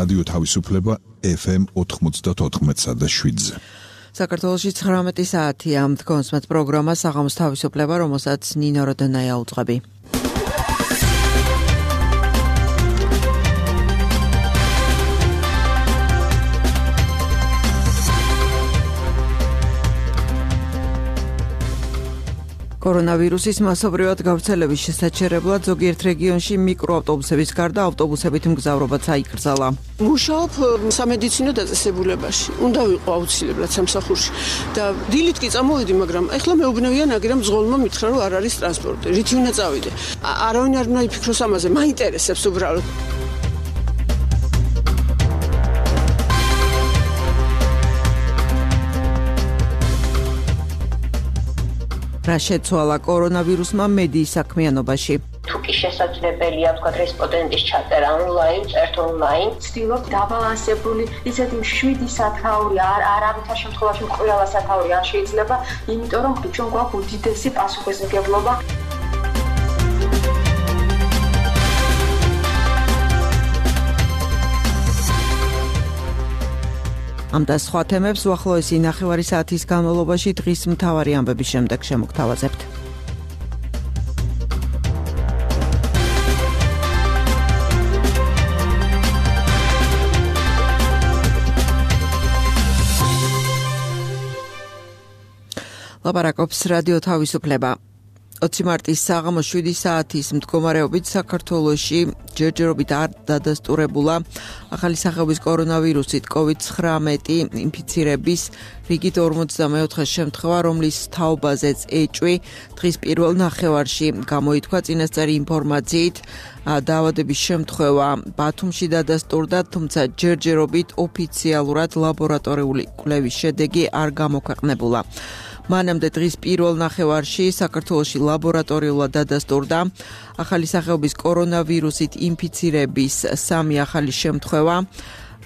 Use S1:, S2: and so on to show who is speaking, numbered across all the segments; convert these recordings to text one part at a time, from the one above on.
S1: რადიო თავისუფლება FM 94.7-ზე.
S2: საქართველოში 19 საათია მდგომსმეთ პროგრამა საღამოს თავისუფლება, რომელსაც ნინო როდონაია უძღვები. კორონავირუსის მასობრივად გავრცელების შესაჩერებლად ზოგიერთ რეგიონში მიკროავტობუსების გარდა ავტობუსებით მგზავრობაც აიკრძალა.
S3: მუშაობ სამედიცინო დაწესებულებაში. უნდა ვიყო აუცილებლად სამსახურში და დილით კი წამოვიდი, მაგრამ ეხლა მეუბნევიან აგერამ ზღოლმა მითხრა, რომ არ არის ტრანსპორტი. რითი უნდა წავიდე? არავინ არ უნდა იფიქროს ამაზე, მაინტერესებს უბრალოდ.
S2: რა შეცვალა კორონავირუსმა მედიის საქმიანობაში?
S4: თუ კი შესაძლებელია თქვა რესპონდენტის ჩაწერა ონლაინ, წერთ ონლაინ,
S5: ვცდილობ დაბალანსებული, ისეთი 7 სათაური არავითარ შემთხვევაში ყველა სათაური არ შეიძლება, იმიტომ რომ ჩვენ გვაქვს უდიდესი პასუხისმგებლობა.
S2: ამ და სხვა თემებს უახლოესი ნახევარი საათის განმავლობაში დღის მთავარი ამბების შემდეგ შემოგთავაზებთ. ლაპარაკობს რადიო თავისუფლება. 20 მარტის საღამოს 7 საათის მდგომარეობით საქართველოში ჯერჯერობით არ დადასტურებულა ახალი სახეობის კორონავირუსით COVID-19 ინფიცირების რიგით 44 შემთხვევა, რომლის თაობაზეც ეჭვი დღის პირველ ნახევარში გამოითქვა. წინასწარი ინფორმაციით დაავადების შემთხვევა ბათუმში დადასტურდა, თუმცა ჯერჯერობით ოფიციალურად ლაბორატორიული კვლევის შედეგი არ გამოქვეყნებულა. მანამდე დღის პირველ ნახევარში საქართველოში ლაბორატორიულად დადასტურდა ახალი სახეობის კორონავირუსით ინფიცირების 3 ახალი შემთხვევა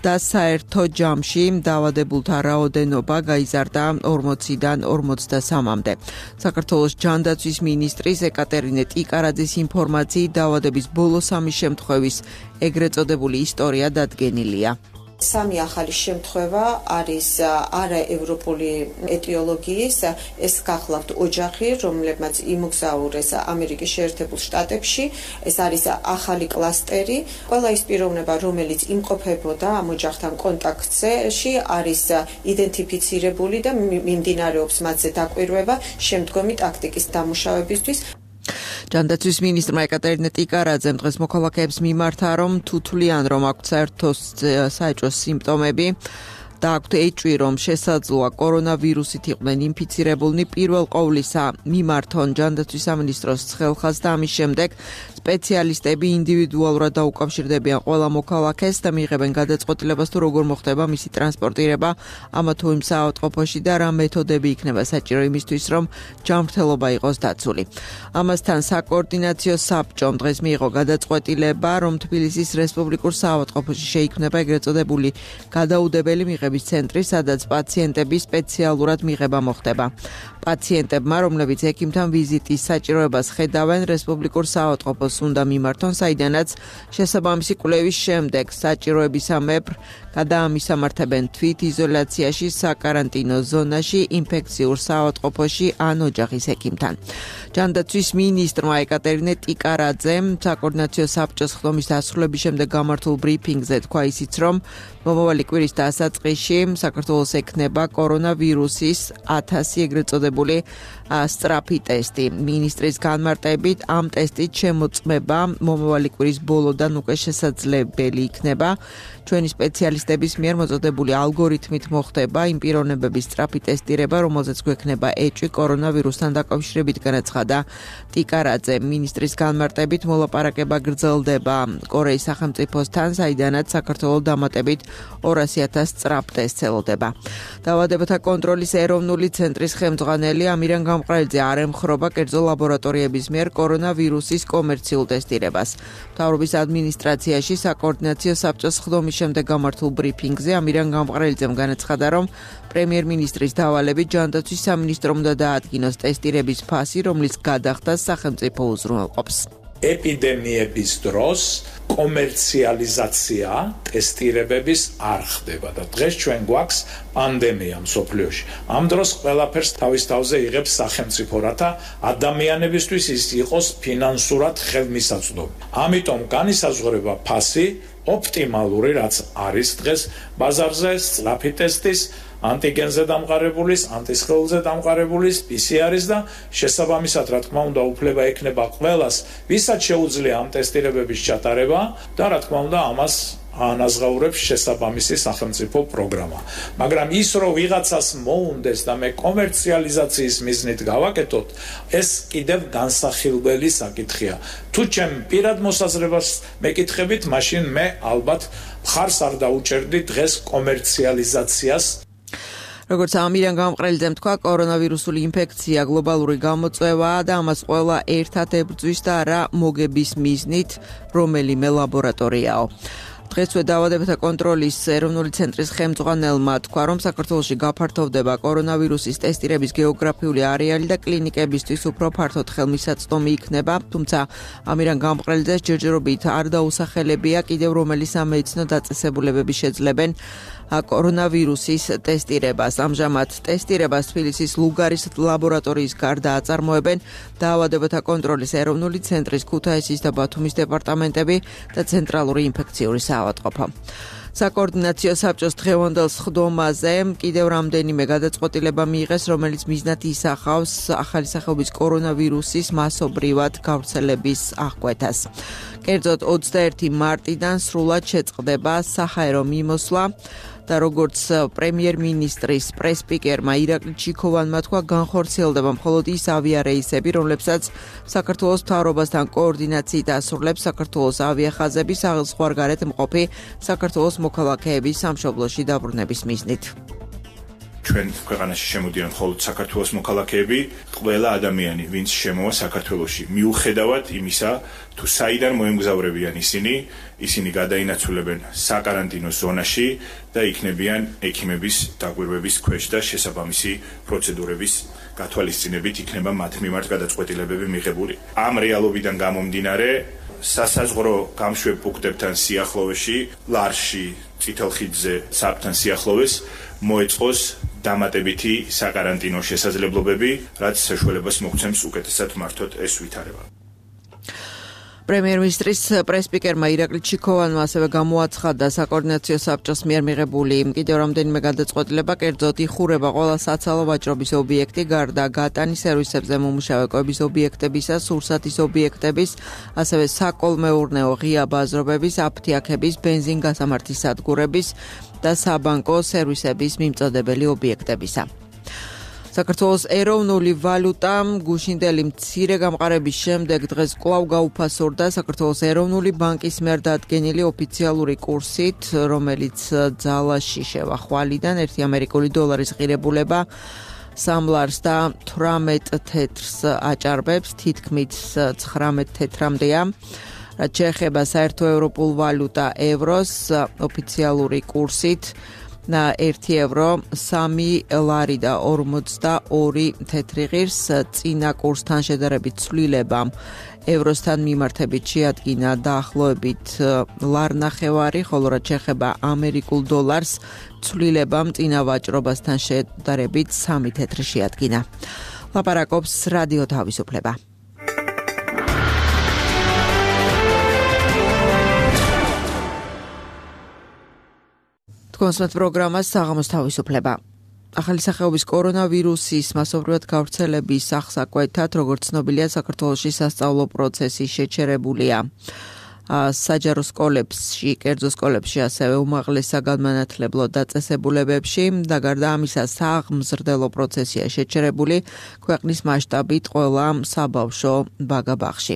S2: და საერთო ჯამში დაავადებულთა რაოდენობა გაიზარდა 40-დან 43-მდე. საქართველოს ჯანდაცვის მინისტრის ეკატერინე ტიკარაძის ინფორმაციით დაავადების ბოლო 3 შემთხვევის ეგრეთ წოდებული ისტორია დადგენილია.
S6: 3 ახალი შემთხვევა არის არაევროპული ეტიოლოგიის, ეს გახლავთ ოჯახი, რომლებმაც იმოგზაურეს ამერიკის შეერთებულ შტატებში, ეს არის ახალი კლასტერი. ყველა ის პიროვნება, რომელიც იმყოფებოდა ამ ოჯახთან კონტაქტში, არის იდენტიფიცირებული და მიმდინარეობს მათზე დაკვირვება შემდგომი ტაქტიკის დამუშავებისთვის.
S2: ჯანდაცვის მინისტრმა ეკატერინე ტიკარაძემ დღეს მოქალაქეებს მიმართა, რომ თუ თვლიან, რომ აქვთ საერთო საეჭვო სიმპტომები და აქვთ ეჭვი, რომ შესაძლოა კორონავირუსით იყვნენ ინფიცირებულნი, პირველ ყოვლისა მიმართონ ჯანდაცვის სამინისტროს ხელხას და ამის შემდეგ სპეციალისტები ინდივიდუალურად დაუკავშირდებიან ყველა მოქალაქეს და მიიღებენ გადაწყვეტილებას, თუ როგორ მოხდება მისი ტრანსპორტირება ამა თუ იმ საავადმყოფოში და რა მეთოდები იქნება საჭირო იმისთვის, რომ ჯანმრთელობა იყოს დაცული. ამასთან საკოორდინაციო საბჭომ დღეს მიიღო გადაწყვეტილება, რომ თბილისის რესპუბლიკურ საავადმყოფოში შეიქმნება ეგრეთ წოდებული გადაუდებელი მიღების ცენტრი, სადაც პაციენტების სპეციალურად მიღება მოხდება. პაციენტებმა, რომლებიც ექიმთან ვიზიტის საჭიროებას ხედავენ, რესპუბლიკურ საავადმყოფოს უნდა მიმართონ, საიდანაც შესაბამისი კვლევის შემდეგ საჭიროებისამებრ გადაამისამართებენ თვით იზოლაციაში საკარანტინო ზონაში, ინფექციურ საავადმყოფოში ან ოჯახის ექიმთან. ჯანდაცვის მინისტრმა ეკატერინე ტიკარაძემ საკოორდინაციო საბჭოს ხდომის დასრულების შემდეგ გამართულ ბრიფინგზე თქვა ისიც, რომ მომავალი კვირის დასაწყისში საქართველოს ექნება კორონავირუსის 1000 ეგრეთ წოდებული სწრაფი ტესტი. მინისტრის განმარტებით ამ ტესტით შემოწმება მომავალი კვირის ბოლოდან უკვე შესაძლებელი იქნება. ჩვენი სპეციალისტების მიერ მოწოდებული ალგორითმით მოხდება იმ პიროვნებების სწრაფი ტესტირება, რომელზეც გვექნება ეჭვი კორონავირუსთან დაკავშირებით, განაცხადა ტიკარაძე. მინისტრის განმარტებით მოლაპარაკება გრძელდება კორეის სახელმწიფოსთან, საიდანაც საქართველოს დამატებით 200,000 სწრაფ ტესტს ელოდება. დაავადებათა კონტროლის ეროვნული ცენტრის ხელმძღვანელი ამირან გამყრელიძე არ ემხრობა კერძო ლაბორატორიების მიერ კორონავირუსის კომერციულ ტესტირებას. მთავრობის ადმინისტრაციაში საკოორდინაციო საბჭოს ხდომის შემდეგ გამართულ ბრიფინგზე ამირან გამყრელიძემ განაცხადა, რომ პრემიერ-მინისტრის დავალებით ჯანდაცვის სამინისტრომ უნდა დაადგინოს ტესტირების ფასი, რომლის გადახდას სახელმწიფო უზრუნველყოფს.
S7: ეპიდემიების დროს კომერციალიზაცია ტესტირებების არ ხდება და დღეს ჩვენ გვაქვს პანდემია მსოფლიოში. ამ დროს ყველაფერს თავის თავზე იღებს სახელმწიფო, რათა ადამიანებისთვის ის იყოს ფინანსურად ხელმისაწვდომი. ამიტომ განისაზღვრება ფასი ოპტიმალური, რაც არის დღეს ბაზარზე, სწრაფი ტესტის, ანტიგენზე დამყარებულის, ანტისხეულზე დამყარებულის, PCR-ის და შესაბამისად, რა თქმა უნდა, უფლება ექნება ყველას, ვისაც შეუძლია ამ ტესტირებების ჩატარება და რა თქმა უნდა, ამას ანაზღაურებს შესაბამისი სახელმწიფო პროგრამა. მაგრამ ის, რომ ვიღაცას მოუნდეს და მე კომერციალიზაციის მიზნით გავაკეთოთ, ეს კიდევ განსახილველი საკითხია. თუ ჩემ პირად მოსაზრებას მეკითხებით, მაშინ მე ალბათ მხარს არ დაუჭერდი დღეს კომერციალიზაციას.
S2: როგორც ამირან გამყრელიძემ თქვა, კორონავირუსული ინფექცია გლობალური გამოწვევაა და ამას ყველა ერთად ებრძვის და არა მოგების მიზნით რომელიმე ლაბორატორიაო. დღესვე დაავადებათა კონტროლის ეროვნული ცენტრის ხელმძღვანელმა თქვა, რომ საქართველოში გაფართოვდება კორონავირუსის ტესტირების გეოგრაფიული არეალი და კლინიკებისთვის უფრო ფართოდ ხელმისაწვდომი იქნება, თუმცა ამირან გამყრელიძეს ჯერჯერობით არ დაუსახელებია კიდევ რომელი სამედიცინო დაწესებულებები შეძლებენ კორონავირუსის ტესტირებას. ამჟამად ტესტირებას თბილისის ლუგარის ლაბორატორიის გარდა აწარმოებენ დაავადებათა კონტროლის ეროვნული ცენტრის, ქუთაისის და ბათუმის დეპარტამენტები და ცენტრალური ინფექციური საავადმყოფო. საკოორდინაციო საბჭოს დღევანდელ სხდომაზე კიდევ რამდენიმე გადაწყვეტილება მიიღეს, რომელიც მიზნად ისახავს ახალი სახეობის კორონავირუსის მასობრივად გავრცელების აღკვეთას. კერძოდ 21 მარტიდან სრულად შეწყდება საჰაერო მიმოსვლა და როგორც პრემიერ-მინისტრის პრეს-სპიკერმა ირაკლი ჩიქოვანმა თქვა, განხორციელდება მხოლოდ ის ავიარეისები, რომლებსაც საქართველოს მთავრობასთან კოორდინაციით ასრულებს საქართველოს ავიახაზები საზღვარგარეთ მყოფი საქართველოს მოქალაქეების სამშობლოში დაბრუნების მიზნით.
S8: ჩვენ ქვეყანაში შემოდიან მხოლოდ საქართველოს მოქალაქეები, ყველა ადამიანი, ვინც შემოვა საქართველოში, მიუხედავად იმისა, თუ საიდან მოემგზავრებიან ისინი გადაინაცვლებენ საკარანტინო ზონაში და იქნებიან ექიმების დაკვირვების ქვეშ და შესაბამისი პროცედურების გათვალისწინებით იქნება მათ მიმართ გადაწყვეტილებები მიღებული. ამ რეალობიდან გამომდინარე, სასაზღვრო გამშვებ პუნქტებთან სიახლოვეში, ლარში, წითელხიდზე, საბთან სიახლოვეს მოეწყოს დამატებითი საკარანტინო შესაძლებლობები, რაც საშუალებას მოგცემს უკეთესად მართოთ ეს ვითარება.
S2: პრემიერ-მინისტრის პრეს-სპიკერმა ირაკლი ჩიქოვანმა ასევე გამოაცხადა საკოორდინაციო საბჭოს მიერ მიღებული კიდევ რამდენიმე გადაწყვეტილება, კერძოდ იხურება ყველა საცალო ვაჭრობის ობიექტი, გარდა გატანის სერვისებზე მომუშავე კვების ობიექტებისა, სურსათის ობიექტების, ასევე საკოლმეურნეო ღია ბაზრობების, აფთიაქების, ბენზინგასამართის სადგურების და საბანკო სერვისების მიმწოდებელი ობიექტებისა. საქართველოს ეროვნული ვალუტა გუშინდელი მცირე გამყარების შემდეგ დღეს კვლავ გაუფასორდა საქართველოს ეროვნული ბანკის მიერ დადგენილი ოფიციალური კურსით, რომელიც ძალაში შევა ხვალიდან 1 ამერიკული დოლარის ღირებულება 3 ლარს და 18 თეთრს აჭარბებს, თითქმით 19 თეთრამდეა. რაც შეეხება საერთო ევროპულ ვალუტა ევროს ოფიციალური კურსით 1 ევრო 3 ლარი და 42 თეთრი ღირს, წინა კურსთან შედარებით ცვლილება ევროსთან მიმართებით შეადგინა დაახლოებით ლარნახევარი, ხოლო რაც შეეხება ამერიკულ დოლარს, ცვლილებამ წინა ვაჭრობასთან შედარებით 3 თეთრი შეადგინა. ლაპარაკობს რადიო თავისუფლება. კონსმეთ პროგრამას საღამოს თავისუფლება. ახალი სახეობის კორონავირუსის მასობრივად გავრცელების აღსაკვეთად, როგორც ცნობილია, საქართველოში სასწავლო პროცესი შეჩერებულია. საჯარო სკოლებში, კერძო სკოლებში, ასევე უმაღლეს საგანმანათლებლო დაწესებულებებში და გარდა ამისა, სააღმზრდელო პროცესია შეჩერებული ქვეყნის მასშტაბით ყველა საბავშვო ბაგა-ბაღში.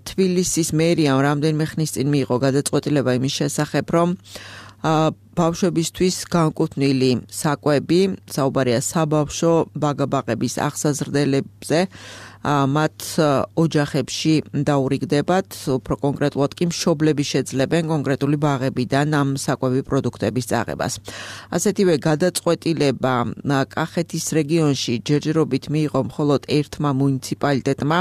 S2: თბილისის მერიამ რამდენიმე ხნის წინ მიიღო გადაწყვეტილება იმის შესახებ, რომ ბავშვებისთვის განკუთვნილი საკვები, საუბარია საბავშვო ბაგა-ბაღების აღსაზრდელებზე, მათ ოჯახებში დაურიგდებათ, უფრო კონკრეტულად კი მშობლები შეძლებენ კონკრეტული ბაღებიდან ამ საკვები პროდუქტების წაღებას. ასეთივე გადაწყვეტილება კახეთის რეგიონში ჯერჯერობით მიიღო მხოლოდ ერთმა მუნიციპალიტეტმა,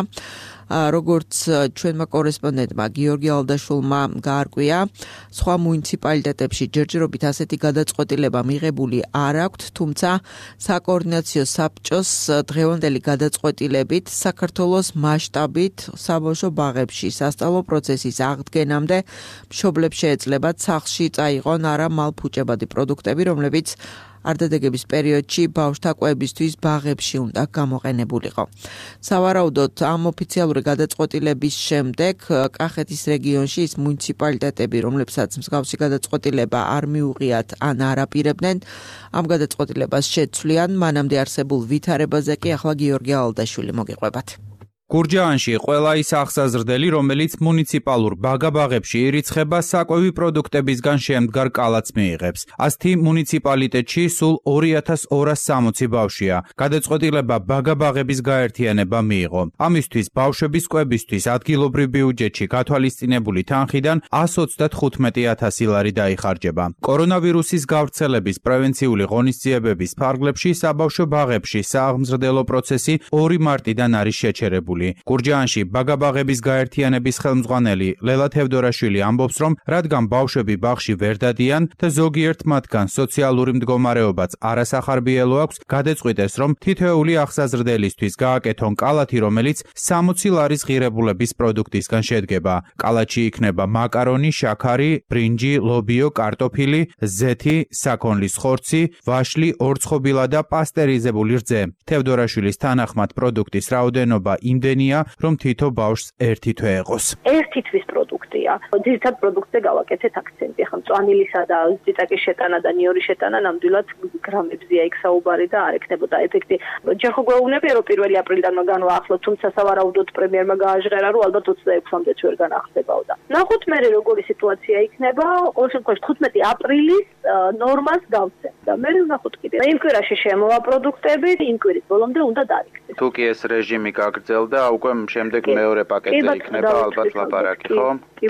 S2: როგორც ჩვენმა კორესპონდენტმა გიორგი ალდაშვილმა გაარკვია, სხვა მუნიციპალიტეტებში ჯერჯერობით ასეთი გადაწყვეტილება მიღებული არ აქვთ, თუმცა საკოორდინაციო საბჭოს დღევანდელი გადაწყვეტილებით საქართველოს მასშტაბით საბავშვო ბაღებში სასწავლო პროცესის აღდგენამდე მშობლებს შეეძლებათ სახლში წაიღონ არა მალფუჭებადი პროდუქტები, რომლებიც არდადეგების პერიოდში ბავშვთა კვებისთვის ბაღებში უნდა გამოყენებულიყო. სავარაუდოდ ამ ოფიციალური გადაწყვეტილების შემდეგ კახეთის რეგიონში ის მუნიციპალიტეტები, რომლებსაც მსგავსი გადაწყვეტილება არ მიუღიათ ან არ აპირებდნენ, ამ გადაწყვეტილებას შეცვლიან. მანამდე არსებულ ვითარებაზე კი ახლა გიორგი ალდაშვილი მოგიყვებათ.
S9: გურჯაანში ყველა ის აღსაზრდელი, რომელიც მუნიციპალურ ბაგაბაღებში ირიცხება, საკვები პროდუქტებისგან შემდგარ კალათს მიიღებს. ასეთი მუნიციპალიტეტში სულ 2260 ბავშვია. გადაწყვეტილება ბაგაბაღების გაერთიანება მიიღო. ამისთვის ბავშვების კვებისთვის ადგილობრივ ბიუჯეტში გათვალისწინებული თანხიდან 135,000 ლარი დაიხარჯება. კორონავირუსის გავრცელების პრევენციული ღონისძიებების ფარგლებში საბავშვო ბაღებში სააღმზრდელო პროცესი 2 მარტიდან არის შეჩერებული. გურჯაანში ბაგაბაღების გაერთიანების ხელმძღვანელი ლელა თევდორაშვილი ამბობს, რომ რადგან ბავშვები ბაღში ვერ დადიან და ზოგიერთ მათგან სოციალური მდგომარეობაც არასახარბიელო აქვს, გადაწყვიტეს, რომ თითოეული აღსაზრდელისთვის გააკეთონ კალათი, რომელიც 60 ლარის ღირებულების პროდუქტისგან შედგება. კალათში იქნება მაკარონი, შაქარი, ბრინჯი, ლობიო, კარტოფილი, ზეთი, საქონლის ხორცი, ვაშლი, ორცხობილა და პასტერიზებული რძე. თევდორაშვილის თანახმად პროდუქტის რაოდენობა იმდენია, რომ თითო ბავშვს ერთი თვე ეყოს.
S5: ერთი თვის პროდუქტია. ძირითად პროდუქტზე გავაკეთეთ აქცენტი. ახლა მწვანილისა და წიწაკის შეტანა და ნიორის შეტანა ნამდვილად გრამებზია იქ საუბარი და არ ექნებოდა ეფექტი. ჯერ ხო გვეუბნებია, რომ 1 აპრილიდან განვაახლოთ, თუმცა სავარაუდოდ პრემიერმა გააჟღერა, რომ ალბათ 26-მდეც ვერ განახდებოდა. ნახოთ მე როგორი სიტუაცია იქნება. ყოველ შემთხვევაში 15 აპრილის ნორმას გავცემ და მე ვნახოთ კიდე. იმ კვირაში შემოვა პროდუქტები, იმ კვირის ბოლომდე უნდა დაიქცეს.
S10: თუ კი ეს რეჟიმი გაგრძელდა, უკვე შემდეგ მეორე პაკეტზე იქნება ალბათ ლაპარაკი, ხო?
S5: კი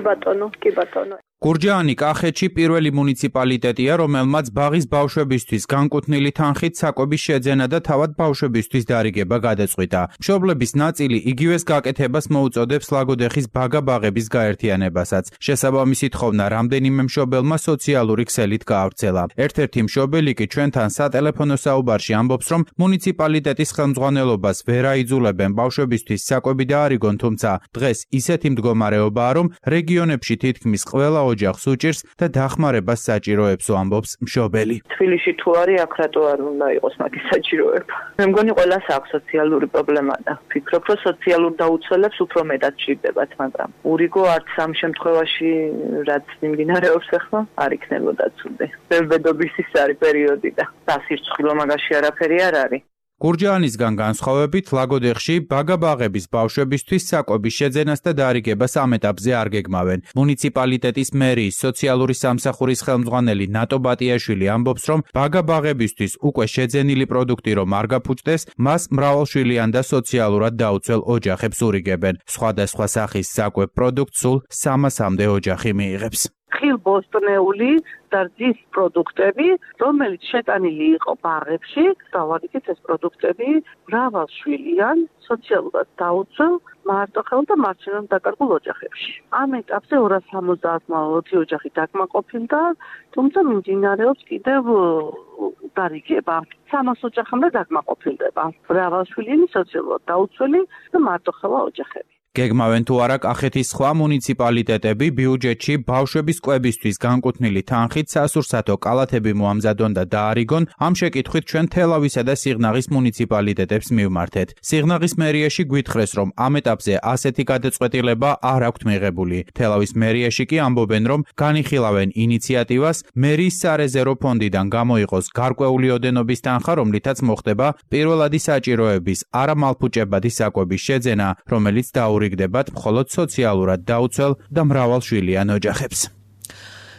S5: ბატონო.
S9: გურჯაანი კახეთში პირველი მუნიციპალიტეტია, რომელმაც ბაღის ბავშვებისთვის განკუთვნილი თანხით საკვების შეძენა და თავად ბავშვებისთვის დარიგება გადაწყვიტა. მშობლების ნაწილი იგივეს გაკეთებას მოუწოდებს ლაგოდეხის ბაგაბაღების გაერთიანებასაც. შესაბამისი თხოვნა რამდენიმე მშობელმა სოციალური ქსელით გაავრცელა. ერთ-ერთი მშობელი კი ჩვენთან სატელეფონო საუბარში ამბობს, რომ მუნიციპალიტეტის ხელმძღვანელობას ვერ აიძულებენ ბავშვებისთვის საკვები დაარიგონ, თუმცა დღეს ისეთი მდგომარეობაა, რომ რეგიონებში თითქმის ყველა ოჯახს უჭირს და დახმარებას საჭიროებსო, ამბობს მშობელი.
S11: თბილისში თუ არის, აქ რატო არ უნდა იყოს მაგის საჭიროება? მე მგონი ყველას აქვს სოციალური პრობლემა და ვფიქრობ, რომ სოციალურ დაუცველებს უფრო მეტად ჭირდებათ, მაგრამ ურიგო არც ამ შემთხვევაში, რაც მიმდინარეობს ახლა, არ იქნებოდა ცუდი. ბედობის ის არის პერიოდი და დასირცხვილო მაგაში არაფერი არ არის.
S9: გურჯაანისგან განსხვავებით, ლაგოდეხში ბაგაბაღების ბავშვებისთვის საკვების შეძენას და დარიგებას ამ ეტაპზე არ გეგმავენ. მუნიციპალიტეტის მერიის სოციალური სამსახურის ხელმძღვანელი ნატო ბატიაშვილი ამბობს, რომ ბაგაბაღებისთვის უკვე შეძენილი პროდუქტი რომ არ გაფუჭდეს, მას მრავალშვილიან და სოციალურად დაუცველ ოჯახებს ურიგებენ. სხვადასხვა სახის საკვებ პროდუქტს სულ 300-მდე ოჯახი მიიღებს.
S11: ხილბოსტნეული და რძის პროდუქტები, რომელიც შეტანილი იყო ბაღებში, დავარიგეთ ეს პროდუქტები მრავალშვილიან, სოციალურად დაუცველ, მარტოხელ და მარცხენად დაკარგულ ოჯახებში. ამ ეტაპზე 270 ოჯახი დაკმაყოფილდა, თუმცა მიმდინარეობს კიდევ დარიგება. 300 ოჯახამდე დაკმაყოფილდება. მრავალშვილიანი, სოციალურად დაუცველი და მარტოხელა ოჯახები.
S9: გეგმავენ თუ არა კახეთის სხვა მუნიციპალიტეტები ბიუჯეტში ბავშვების კვებისთვის განკუთვნილი თანხით სასურსათო კალათები მოამზადონ და დაარიგონ, ამ შეკითხვით ჩვენ თელავისა და სიღნაღის მუნიციპალიტეტებს მივმართეთ. სიღნაღის მერიაში გვითხრეს, რომ ამ ეტაპზე ასეთი გადაწყვეტილება არ აქვთ მიღებული. თელავის მერიაში კი ამბობენ, რომ განიხილავენ ინიციატივას მერიის სარეზერვო ფონდიდან გამოიყოს გარკვეული ოდენობის თანხა, რომლითაც მოხდება პირველადი საჭიროების არამალფუჭებადი საკვების შეძენა, რომელიც დაურიგდებათ მხოლოდ სოციალურად დაუცველ და მრავალშვილიან ოჯახებს.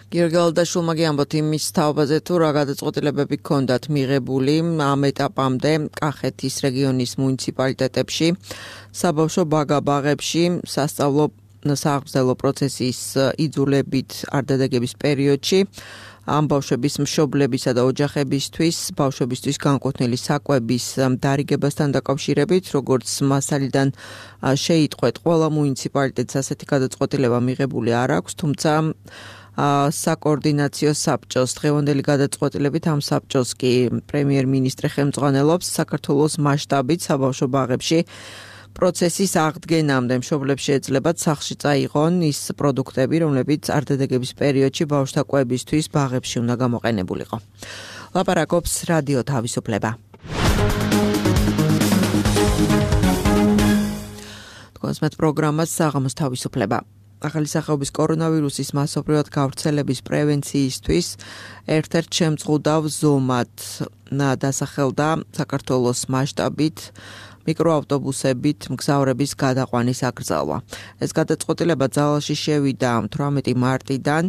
S2: გიორგალდაშვილმა გიამბოთ იმის თაობაზე თუ რა გადაწყვეტილებები ჰქონდათ მიღებული ამ ეტაპამდე კახეთის რეგიონის მუნიციპალიტეტებში, საბავშვო ბაგა-ბაღებში, სასწავლო სააღმრძელო პროცესის იძულებით არდადეგების პერიოდში, ამ ბავშვების მშობლებისა და ოჯახებისთვის, ბავშვებისთვის განკუთვნილი საკვების დარიგებასთან დაკავშირებით, როგორც მასალიდან შეიტყვეთ, ყველა მუნიციპალიტეტს ასეთი გადაწყვეტილება მიღებული არ აქვს, თუმცა საკოორდინაციო საბჭოს დღევანდელი გადაწყვეტილებით ამ საბჭოს კი პრემიერ-მინისტრი ხელმძღვანელობს საქართველოს მასშტაბით საბავშვო ბაღებში პროცესის აღდგენამდე მშობლებს შეეძლებათ სახლში წაიღონ ის პროდუქტები, რომლებიც არდადეგების პერიოდში ბავშვთა კვებისთვის ბაღებში უნდა გამოყენებულიყო. ლაპარაკობს რადიო თავისუფლება. თქვენს მათ პროგრამას საღამოს თავისუფლება. ახალი სახეობის კორონავირუსის მასობრივად გავრცელების პრევენციისთვის ერთ-ერთ შემწყუდავ ზომად დასახელდა საქართველოს მასშტაბით მიკროავტობუსებით მგზავრების გადაყვანის აკრძალვა. ეს გადაწყვეტილება ძალაში შევიდა 18 მარტიდან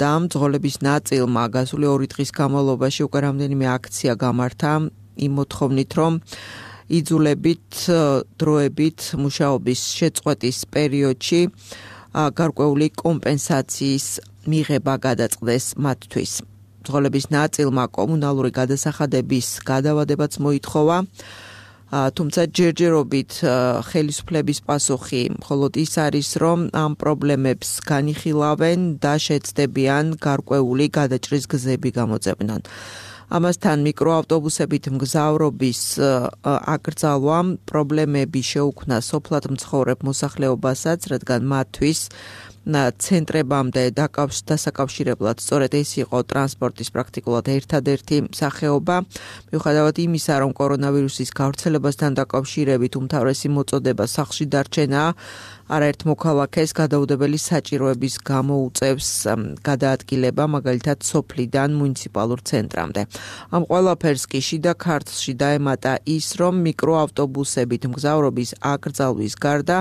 S2: და მძღოლების ნაწილმა გასული 2 დღის განმავლობაში უკვე რამდენიმე აქცია გამართა იმ მოთხოვნით, რომ იძულებით დროებით მუშაობის შეწყვეტის პერიოდში გარკვეული კომპენსაციის მიღება გადაწყდეს მათთვის. მძღოლების ნაწილმა კომუნალური გადასახადების გადავადებაც მოითხოვა, თუმცა ჯერჯერობით ხელისუფლების პასუხი მხოლოდ ის არის, რომ ამ პრობლემებს განიხილავენ და შეცდებიან გარკვეული გადაჭრის გზები გამოძებნონ. ამასთან მიკროავტობუსებით მგზავრობის აკრძალვამ პრობლემები შეუქმნა სოფლად მცხოვრებ მოსახლეობასაც, რადგან მათთვის ცენტრებამდე დასაკავშირებლად სწორედ ეს იყო ტრანსპორტის პრაქტიკულად ერთადერთი სახეობა, მიუხედავად იმისა, რომ კორონავირუსის გავრცელებასთან დაკავშირებით უმთავრესი მოწოდება სახლში დარჩენაა, არაერთ მოქალაქეს გადაუდებელი საჭიროების გამო უწევს გადაადგილება, მაგალითად სოფლიდან მუნიციპალურ ცენტრამდე. ამ ყველაფერს კი შიდა ქართლში დაემატა ის, რომ მიკროავტობუსებით მგზავრობის აკრძალვის გარდა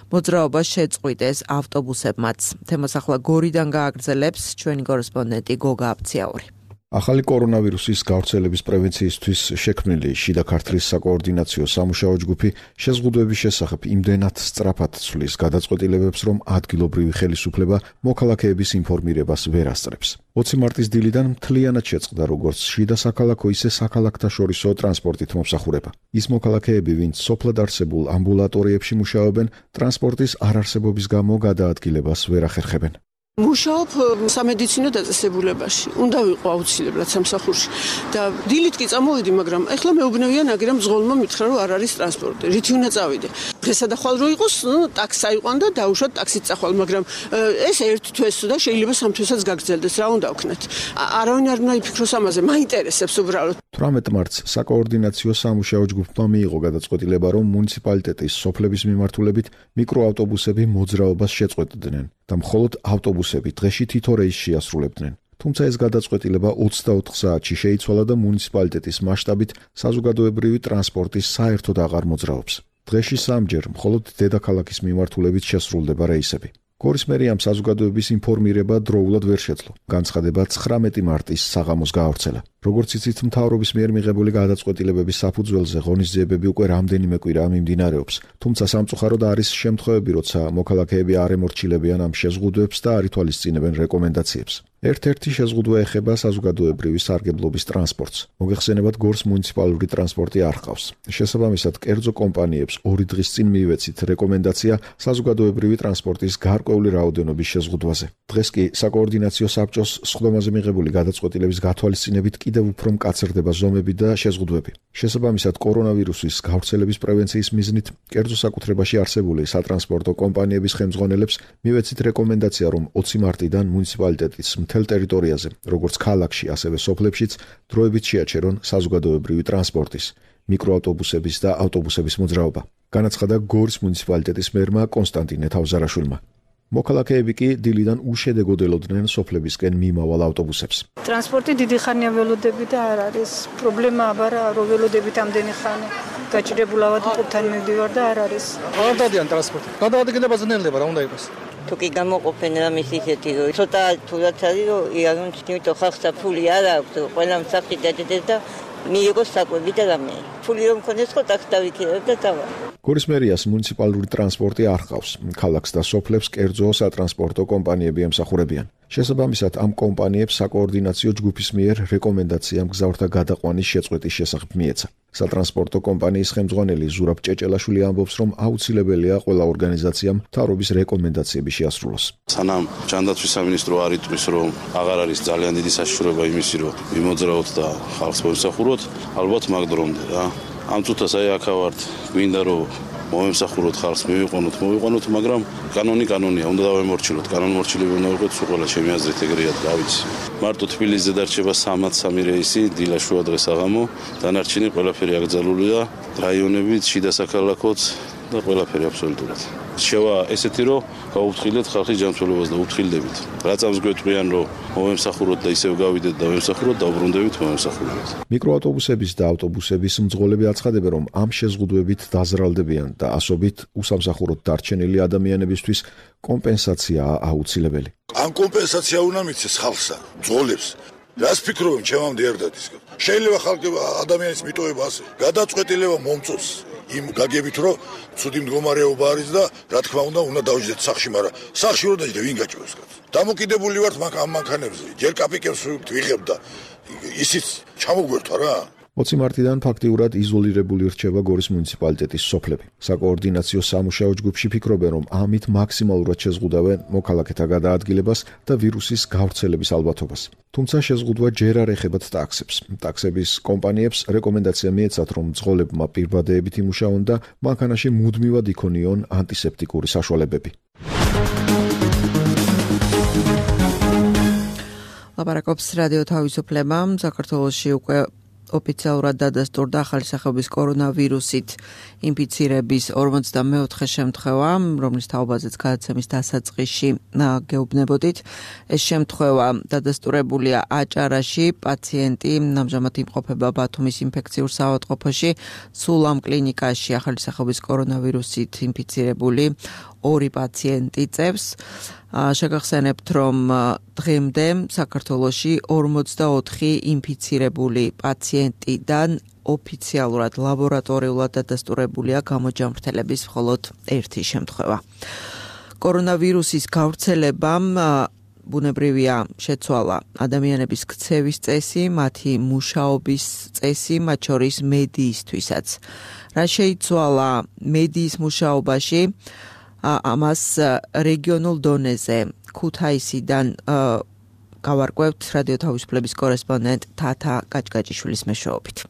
S2: მოძრაობას შეწყვიტეს ავტობუსებმაც. თემას ახლა გორიდან გააგრძელებს ჩვენი კორესპონდენტი გოგა აფციაური.
S1: ახალი კორონავირუსის გავრცელების პრევენციისთვის შექმნილი შიდა ქართლის საკოორდინაციო სამუშაო ჯგუფი შეზღუდვების შესახებ იმდენად სწრაფად ცვლის გადაწყვეტილებებს, რომ ადგილობრივი ხელისუფლება მოქალაქეების ინფორმირებას ვერ ასწრებს. 20 მარტის დილიდან მთლიანად შეწყდა როგორც შიდა საქალაქო, ისე საქალაქთაშორისო ტრანსპორტით მომსახურება. ის მოქალაქეები, ვინც სოფლად არსებულ ამბულატორიებში მუშაობენ, ტრანსპორტის არარსებობის გამო გადაადგილებას ვერ ახერხებენ.
S3: მუშაობ სამედიცინო დაწესებულებაში. უნდა ვიყო აუცილებლად სამსახურში და დილით კი წამოვიდი, მაგრამ ეხლა მეუბნევიან აგერამ მძღოლმა მითხრა, რომ არ არის ტრანსპორტი. რითი უნდა წავიდე? დღესა და ხვალ რო იყოს, ტაქსი აიყვან და დაუშვათ ტაქსით წახვალ, მაგრამ ეს ერთ თვეს და შეიძლება 3 თვესაც გაგრძელდეს. რა უნდა ვქნათ? არავინ არ უნდა იფიქროს ამაზე, მაინტერესებს უბრალოდ. 18
S1: მარტს საკოორდინაციო სამუშაო ჯგუფმა მიიღო გადაწყვეტილება, რომ მუნიციპალიტეტის სოფლების მიმართულებით მიკროავტობუსები მოძრაობას შეწყვეტდნენ და მხოლოდ ავტობუსები დღეში თითო რეისს შეასრულებდნენ. თუმცა ეს გადაწყვეტილება 24 საათში შეიცვალა და მუნიციპალიტეტის მასშტაბით საზოგადოებრივი ტრანსპორტი საერთოდ აღარ მოძრაობს. დღეში 3-ჯერ მხოლოდ დედაქალაქის მიმართულებით შესრულდება რეისები. გორის მერიამ საზოგადოების ინფორმირება დროულად ვერ შეძლო. განცხადება 19 მარტის საღამოს გაავრცელა. როგორც იცით, მთავრობის მიერ მიღებული გადაწყვეტილებების საფუძველზე ღონისძიებები უკვე რამდენიმე კვირაა მიმდინარეობს. თუმცა სამწუხაროდ არის შემთხვევები, როცა მოქალაქეები არ ემორჩილებიან ამ შეზღუდვებს და არ ითვალისწინებენ რეკომენდაციებს. ერთ-ერთი შეზღუდვა ეხება საზოგადოებრივი სარგებლობის ტრანსპორტს. მოგეხსენებათ, გორს მუნიციპალური ტრანსპორტი არ ჰყავს. შესაბამისად, კერძო კომპანიებს 2 დღის წინ მიივეცით რეკომენდაცია საზოგადოებრივი ტრანსპორტის გარკვეული რაოდენობის შეზღუდვაზე. დღეს კი საკოორდინაციო საბჭოს სხდომაზე მიღებული გადაწყვეტილების გათვალისწინებით კიდევ უფრო მკაცრდება ზომები და შეზღუდვები. შესაბამისად, კორონავირუსის გავრცელების პრევენციის მიზნით კერძო საკუთრებაში არსებული სატრანსპორტო კომპანიების ხელმძღვანელებს მივეცით რეკომენდაცია, რომ 20 მარტიდან მუნიციპალიტეტის მთელ ტერიტორიაზე, როგორც ქალაქში, ასევე სოფლებშიც, დროებით შეაჩერონ საზოგადოებრივი ტრანსპორტის, მიკროავტობუსების და ავტობუსების მოძრაობა. განაცხადა გორის მუნიციპალიტეტის მერმა კონსტანტინე თავზარაშვილმა. მოქალაქეები კი დილიდან უშედეგოდ ელოდნენ სოფლებისკენ მიმავალ ავტობუსებს.
S12: ტრანსპორტი დიდი ხანია ველოდები და არ არის პრობლემა, აბარა რო ველოდებით ამდენი ხანი. გაჭირებულავად ყუთთან მივდივარ და არ არის.
S13: არ დადიან ტრანსპორტი. გადაადგილება ძნელდება, რა უნდა იყოს. თუ კი გამოყოფენ რამის ისეთი რომ ცოტა თუნდაც არის რომ იარონ თვითონ ხალხსა ფული არ აქვს ყველა მსახი დადედეს და მიიღოს საკვები და რამე ფული რომ მქონდეს ხო ტაქსი დავიქირავებ და დავა.
S1: გორის მერიას მუნიციპალური ტრანსპორტი არ ჰყავს. ქალაქს და სოფლებს კერძო სატრანსპორტო კომპანიები ემსახურებიან. შესაბამისად, ამ კომპანიებს საკოორდინაციო ჯგუფის მიერ რეკომენდაცია მგზავრთა გადაყვანის შეწყვეტის შესახებ მიეცა. სატრანსპორტო კომპანიის ხელმძღვანელი ზურაბ ჭეჭელაშვილი ამბობს, რომ აუცილებელია ყველა ორგანიზაციამ მთავრობის რეკომენდაციები შეასრულოს.
S14: სანამ ჯანდაცვის სამინისტრო არ იტყვის, რომ აღარ არის ძალიან დიდი საშიშროება იმისი, რომ მიმოძრაოთ და ხალხს მოემსახუროთ, ალბათ მაგ დრომდე რა. ამ წუთას აი აქ ვართ, გვინდა რომ მოემსახუროთ ხალხს, მოვიყვანოთ, მაგრამ კანონია, უნდა დავემორჩილოთ. კანონმორჩილები უნდა ვიყოთ, სულ ყველა ჩემი აზრით ეგრეა, რა ვიცი. მარტო თბილისზე დარჩება 303 რეისი, დილა შუა დღეს აღამო, დანარჩენი ყველაფერი აკრძალულია, რაიონებით, შიდა საქალაქოც და ყველაფერი აბსოლუტურად. შევა ესეთი რომ გაუფრთხილდეთ ხალხის ჯანმრთელობას და უფრთხილდებით. რა წამს გვეტყვიან რომ მოემსახუროთ და ისევ გავიდეთ და ვემსახუროთ, დაუბრუნდებით მოემსახურებით.
S1: მიკროავტობუსების და ავტობუსების მძღოლები აცხადებენ, რომ ამ შეზღუდვებით დაზრალდებიან და ასობით უსამსახუროდ დარჩენილი ადამიანებისთვის კომპენსაცია აუცილებელი.
S15: ამ კომპენსაცია უნდა მიცეს ხალხსა, მძღოლებს. რას ფიქრობენ ჩემამდე არ დადისკენ. შეიძლება ხალხი ადამიანის მიტოვება ასე გადაწყვეტილება მომწოს იმ გაგებით რომ ცუდი მდგომარეობა არის და რა თქმა უნდა დავიჯდეთ სახში, მაგრამ სახში რო დაიჯდე ვინ გაჭიროს კაცს. დამოკიდებული ვართ ამ მანქანებზე. ჯერ კაპიკებს ვიღებ და ისიც ჩამოგვერთა რა.
S1: 20 მარტიდან ფაქტიურად იზოლირებული რჩება გორის მუნიციპალიტეტის სოფლები. საკოორდინაციო სამუშაო ჯგუფში ფიქრობენ, რომ ამით მაქსიმალურად შეზღუდავენ მოქალაქეთა გადაადგილებას და ვირუსის გავრცელების ალბათობას. თუმცა შეზღუდვა ჯერ არ ეხებათ ტაქსებს. ტაქსების კომპანიებს რეკომენდაცია მიეცათ, რომ მძღოლებმა პირბადეებით იმუშაონ და მანქანაში მუდმივად იქონიონ ანტისეპტიკური საშუალებები.
S2: ლაპარაკობს რადიო თავისუფლება. საქართველოში უკვე ოფიციალურად დადასტურდა ახალი სახეობის კორონავირუსით ინფიცირების 44 შემთხვევა, რომლის თაობაზეც გადაცემის დასაწყისში გეუბნებოდით. ეს შემთხვევა დადასტურებულია აჭარაში, პაციენტი ამჟამად იმყოფება ბათუმის ინფექციურ საავადმყოფოში, სულ ამ კლინიკაში ახალი სახეობის კორონავირუსით ინფიცირებული 2 პაციენტი წევს. შეგახსენებთ, რომ დღემდე საქართველოში 44 ინფიცირებული პაციენტიდან ოფიციალურად ლაბორატორიულად დადასტურებულია გამოჯამრთელების მხოლოდ 1 შემთხვევა. კორონავირუსის გავრცელებამ ბუნებრივია შეცვალა ადამიანების ქცევის წესი, მათი მუშაობის წესი, მათ შორის მედიისთვისაც. რა შეიცვალა მედიის მუშაობაში? ამას რეგიონულ დონეზე ქუთაისიდან გავარკვევთ რადიო თავისუფლების კორესპონდენტ თათა კაჭკაჭიშვილის მეშვეობით.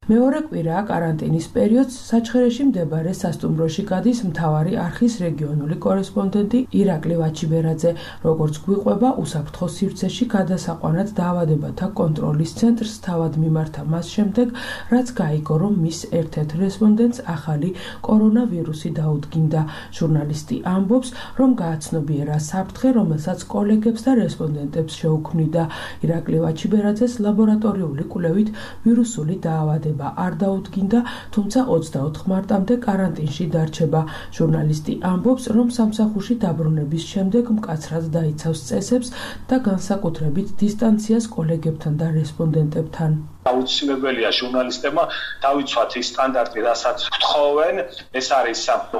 S16: მეორე კვირაა კარანტინის პერიოდს საჩხერეში მდებარე სასტუმროში გადის მთავარი არხის რეგიონული კორესპონდენტი ირაკლი ვაჩიბერაძე. როგორც გვიყვება, უსაფრთხო სივრცეში გადასაყვანად დაავადებათა კონტროლის ცენტრს თავად მიმართა მას შემდეგ, რაც გაიგო, რომ მის ერთ-ერთ რესპონდენტს ახალი კორონავირუსი დაუდგინდა. ჟურნალისტი ამბობს, რომ გააცნობიერა საფრთხე, რომელსაც კოლეგებს და რესპონდენტებს შეუქმნიდა. ირაკლი ვაჩიბერაძეს ლაბორატორიული კვლევით ვირუსული დაავადება არ დაუდგინდა, თუმცა 24 მარტამდე კარანტინში დარჩება. ჟურნალისტი ამბობს, რომ სამსახურში დაბრუნების შემდეგ მკაცრად დაიცავს წესებს და განსაკუთრებით დისტანციას კოლეგებთან და რესპონდენტებთან.
S17: აუცილებელია ჟურნალისტებმა დავიცვათ ის სტანდარტი, რასაც გთხოვენ. ეს არის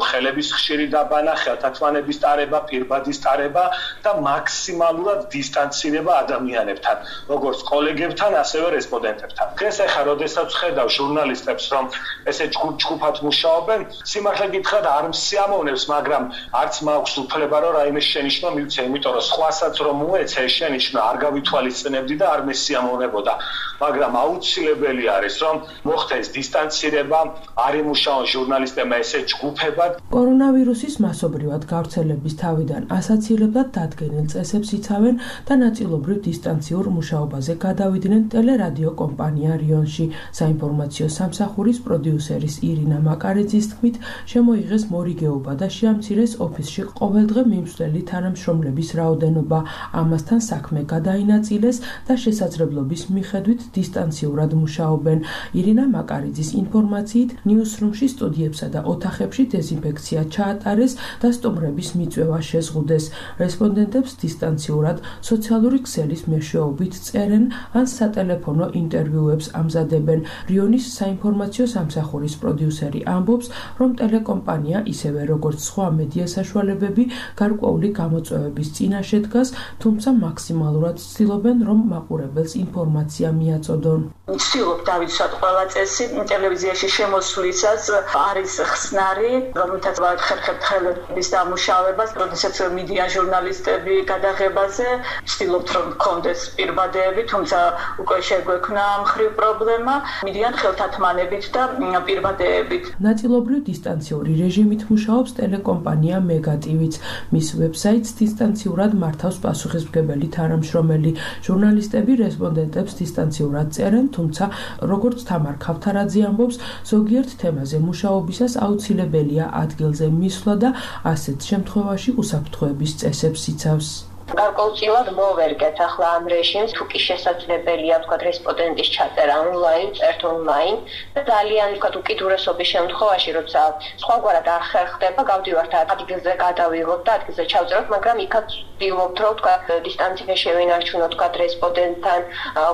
S17: ხელების ხშირი დაბანა, ხელთათმანების ტარება, პირბადის ტარება და მაქსიმალურად დისტანცირება ადამიანებთან, როგორც კოლეგებთან, ასევე რესპონდენტებთან. დღეს ახლა როდესაც ხედავ ჟურნალისტებს, რომ ესე ჯგუფად მუშაობენ, სიმართლე გითხრათ არ მსიამოვნებს, მაგრამ არც მაქვს უფლება, რომ რაიმე შენიშვნა მივცე, იმიტომ რომ სხვასაც რომ მოეცე შენიშვნა არ გავითვალისწინებდი და არ მესიამოვნებოდა. მაგრამ აუცილებელი არის, რომ მოხდეს დისტანცირება, არ იმუშაონ ჟურნალისტებმა ესე ჯგუფებად.
S16: კორონავირუსის მასობრივად გავრცელების თავიდან ასაცილებლად დადგენილ წესებს იცავენ და ნაწილობრივ დისტანციურ მუშაობაზე გადავიდნენ ტელერადიო კომპანია რიონში. საინფორმაციო სამსახურის პროდიუსერის ირინა მაკარეძის თქმით, შემოიღეს მორიგეობა და შეამცირეს ოფისში ყოველდღე მიმსვლელი თანამშრომლების რაოდენობა. ამასთან საქმე გადაინაწილეს და შესაძლებლობის მიხედვით დისტანციურ დისტანციურად მუშაობენ. ირინა მაკარიძის ინფორმაციით, ნიუსრუმში სტუდიებსა და ოთახებში დეზინფექცია ჩაატარეს და სტუმრების მიწვევა შეზღუდეს. რესპონდენტებს დისტანციურად სოციალური ქსელის მეშვეობით წერენ ან სატელეფონო ინტერვიუებს ამზადებენ. რიონის საინფორმაციო სამსახურის პროდიუსერი ამბობს, რომ ტელეკომპანია ისევე როგორც სხვა მედია საშუალებები გარკვეული გამოწვევების წინაშე დგას, თუმცა მაქსიმალურად ცდილობენ, რომ მაყურებელს ინფორმაცია მიაწოდონ.
S18: ვცდილობ დავიცვათ ყველა წესი ტელევიზიაში შემოსვლისას არის ხსნარი, რომელთაც ვახერხებთ ხელების დამუშავებას, როდესაც მიდიან ჟურნალისტები გადაღებაზე, ვცდილობთ რომ მქონდეს პირბადეები, თუმცა უკვე შეგვექმნა მხრივ პრობლემა, მიდიან ხელთათმანებით და პირბადეებით.
S16: ნაწილობრივ დისტანციური რეჟიმით მუშაობს ტელეკომპანია მეგატივიც. მის ვებსაიტს დისტანციურად მართავს პასუხისმგებელი თანამშრომელი. ჟურნალისტები რესპონდენტებს დისტანციურად წერენ, თუმცა როგორც თამარ ქავთარაძე ამბობს, ზოგიერთ თემაზე მუშაობისას აუცილებელია ადგილზე მისვლა და ასეთ შემთხვევაში უსაფრთხოების წესებს იცავს.
S4: გარკვეულწილად მოვერგეთ ახლა ამ რეჟიმს, თუ კი შესაძლებელია ვთქვათ რესპონდენტის ჩაწერა ონლაინ, წერთ ონლაინ და ძალიან ვთქვათ უკიდურესობის შემთხვევაში, როცა სხვაგვარად არ ხერხდება, გავდივართ ადგილზე გადავიღოთ და ადგილზე ჩავწეროთ, მაგრამ იქაც ვცდილობთ რომ ვთქვათ დისტანცია შევინარჩუნოთ ვთქვათ რესპონდენტთან,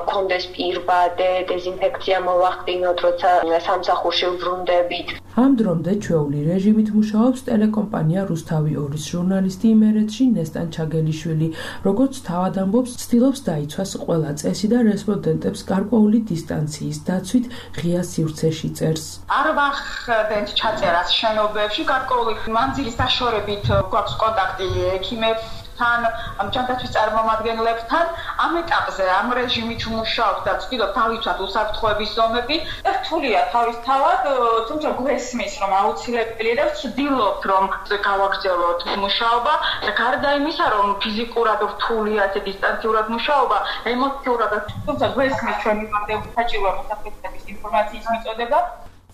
S4: გქონდეს პირბადე, დეზინფექცია მოვახდინოთ, როცა სამსახურში ვბრუნდებით.
S16: ამ დრომდე ჩვეული რეჟიმით მუშაობს ტელეკომპანია რუსთავი 2-ის ჟურნალისტი იმერეთში ნესტან ჩაგელიშვილი. როგორც თავად ამბობს, ცდილობს დაიცვას ყველა წესი და რესპონდენტებს გარკვეული დისტანციის დაცვით ღია სივრცეში წერს.
S19: არ ვახდენთ ჩაწერას შენობებში, გარკვეული მანძილის დაშორებით გვაქვს კონტაქტი ექიმებთან, ჯანდაცვის წარმომადგენლებთან. ამ ეტაპზე ამ რეჟიმით ვმუშაობთ და ვცდილობთ დავიცვათ უსაფრთხოების ზომები. რთულია თავისთავად, თუმცა გვესმის, რომ აუცილებელია და ვცდილობთ, რომ გავაგრძელოთ მუშაობა და გარდა იმისა, რომ ფიზიკურად რთულია დისტანციურად მუშაობა, ემოციურად, თუმცა გვესმის ჩვენი საჭირო საფრთხების ინფორმაციის მიწოდება.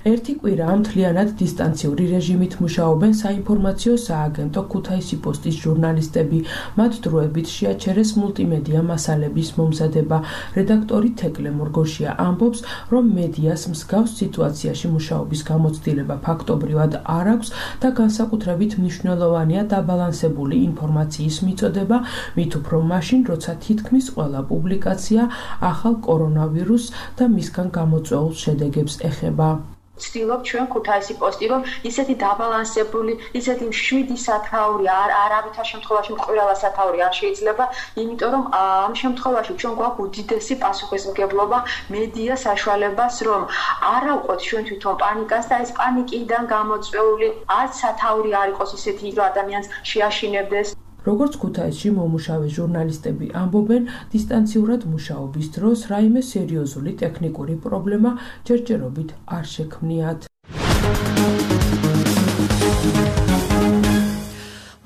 S16: ერთი კვირაა მთლიანად დისტანციური რეჟიმით მუშაობენ საინფორმაციო სააგენტო ქუთაისი პოსტის ჟურნალისტები. მათ დროებით შეაჩერეს მულტიმედია მასალების მომზადება. რედაქტორი თეკლე მორგოშია ამბობს, რომ მედიას მსგავს სიტუაციაში მუშაობის გამოცდილება ფაქტობრივად არ აქვს და განსაკუთრებით მნიშვნელოვანია დაბალანსებული ინფორმაციის მიწოდება, მით უფრო მაშინ, როცა თითქმის ყველა პუბლიკაცია ახალ კორონავირუსს და მისგან გამოწვეულ შედეგებს ეხება.
S19: ვცდილობ ჩვენ ქუთაისი პოსტი, რომ ისეთი დაბალანსებული, ისეთი 7 სათაური არავითარ შემთხვევაში მყვილა სათაური არ შეიძლება, იმიტომ რომ ამ შემთხვევაში ჩვენ გვაქვს უდიდესი პასუხისმგებლობა მედია საშუალებას, რომ არ ავყოთ ჩვენ თვითონ პანიკას და ეს პანიკიდან გამოწვეული არც სათაური არ იყოს ისეთი, რომ ადამიანს შეაშინებდეს.
S16: როგორც ქუთაისში მომუშავე ჟურნალისტები ამბობენ, დისტანციურად მუშაობის დროს რაიმე სერიოზული ტექნიკური პრობლემა ჯერჯერობით არ შექმნიათ.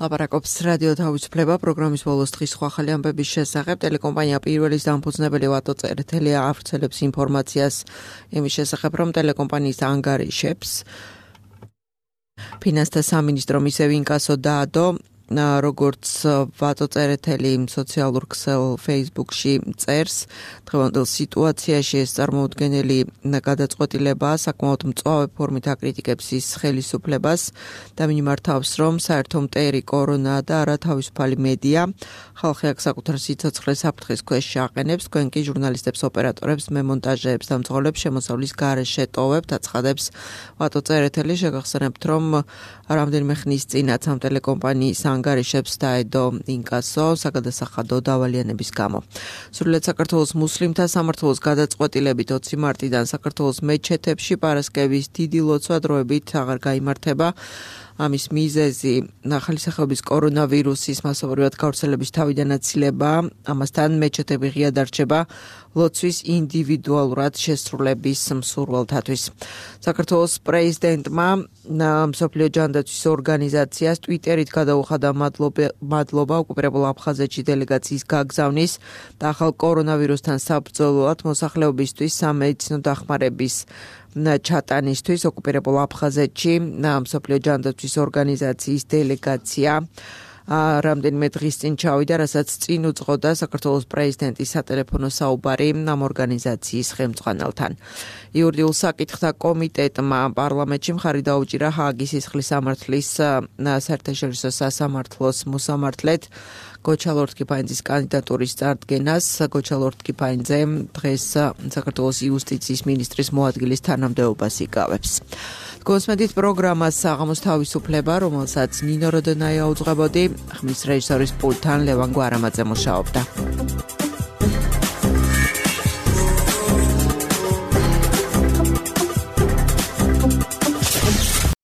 S2: ლაპარაკობს რადიო თავისუფლება პროგრამის ბოლოს დღის სხვა ახალი ამბების შესახებ. ტელეკომპანია პირველის დამფუძნებელი ვატო წერეთელი ავრცელებს ინფორმაციას იმის შესახებ, რომ ტელეკომპანიის ანგარიშებს ფინანსთა სამინისტრო მისევ ინკასო დაადო. როგორც ვატო წერეთელი სოციალურ ქსელ Facebook-ში წერს, დღევანდელ სიტუაციაში ეს წარმოუდგენელი გადაწყვეტილება საკმაოდ მწვავე ფორმით აკრიტიკებს ის ხელისუფლებას და მიმართავს, რომ საერთო მტერი კორონა და არათავისუფალი მედია ხალხი აქ საკუთარ სიცოცხლეს საფრთხის ქვეშ შეაყენებს, თქვენ კი ჟურნალისტებს, ოპერატორებს, მემონტაჟეებს და მძღოლებს შემოსავლის გარეშე ტოვებთ, აცხადებს ვატო წერეთელი. შეგახსენებთ, რომ რამდენიმე ხნის წინაც ამ ტელეკომპანიის ანგარიშებს დაედო ინკასო საგადასახადო დავალიანების გამო. სრულიად საქართველოს მუსლიმთა სამმართველოს გადაწყვეტილებით 20 მარტიდან საქართველოს მეჩეთებში პარასკევის დიდი ლოცვა დროებით აღარ გაიმართება. ამის მიზეზი ახალი სახეობის კორონავირუსის მასობრივად გავრცელების თავიდან აცილება, ამასთან მეჩეთები ღია დარჩება ლოცვის ინდივიდუალურად შესრულების მსურველთათვის. საქართველოს პრეზიდენტმა მსოფლიო ჯანდაცვის ორგანიზაციას ტვიტერით გადაუხადა მადლობა ოკუპირებულ აფხაზეთში დელეგაციის გაგზავნის და ახალ კორონავირუსთან საბრძოლოდ მოსახლეობისთვის სამედიცინო დახმარების ჩატანისთვის ოკუპირებულ აფხაზეთში მსოფლიო ჯანდაცვის ორგანიზაციის დელეგაცია რამდენიმე დღის წინ ჩავიდა, რასაც წინ უძღოდა საქართველოს პრეზიდენტის სატელეფონო საუბარი ამ ორგანიზაციის ხელმძღვანელთან. იურიდიულ საკითხთა კომიტეტმა პარლამენტში მხარი დაუჭირა ჰააგის სისხლის სამართლის საერთაშორისო სასამართლოს მოსამართლედ გოჩა ლორთქიფანიძის კანდიდატურის წარდგენას. გოჩა ლორთქიფანიძე დღეს საქართველოს იუსტიციის მინისტრის მოადგილის თანამდებობას იკავებს. გოსმედით პროგრამას საღამოს თავისუფლება, რომელსაც ნინო როდონაია უძღვებოდი, ხმის რეჟისორის პულტთან ლევან გვარამაძე მუშაობდა.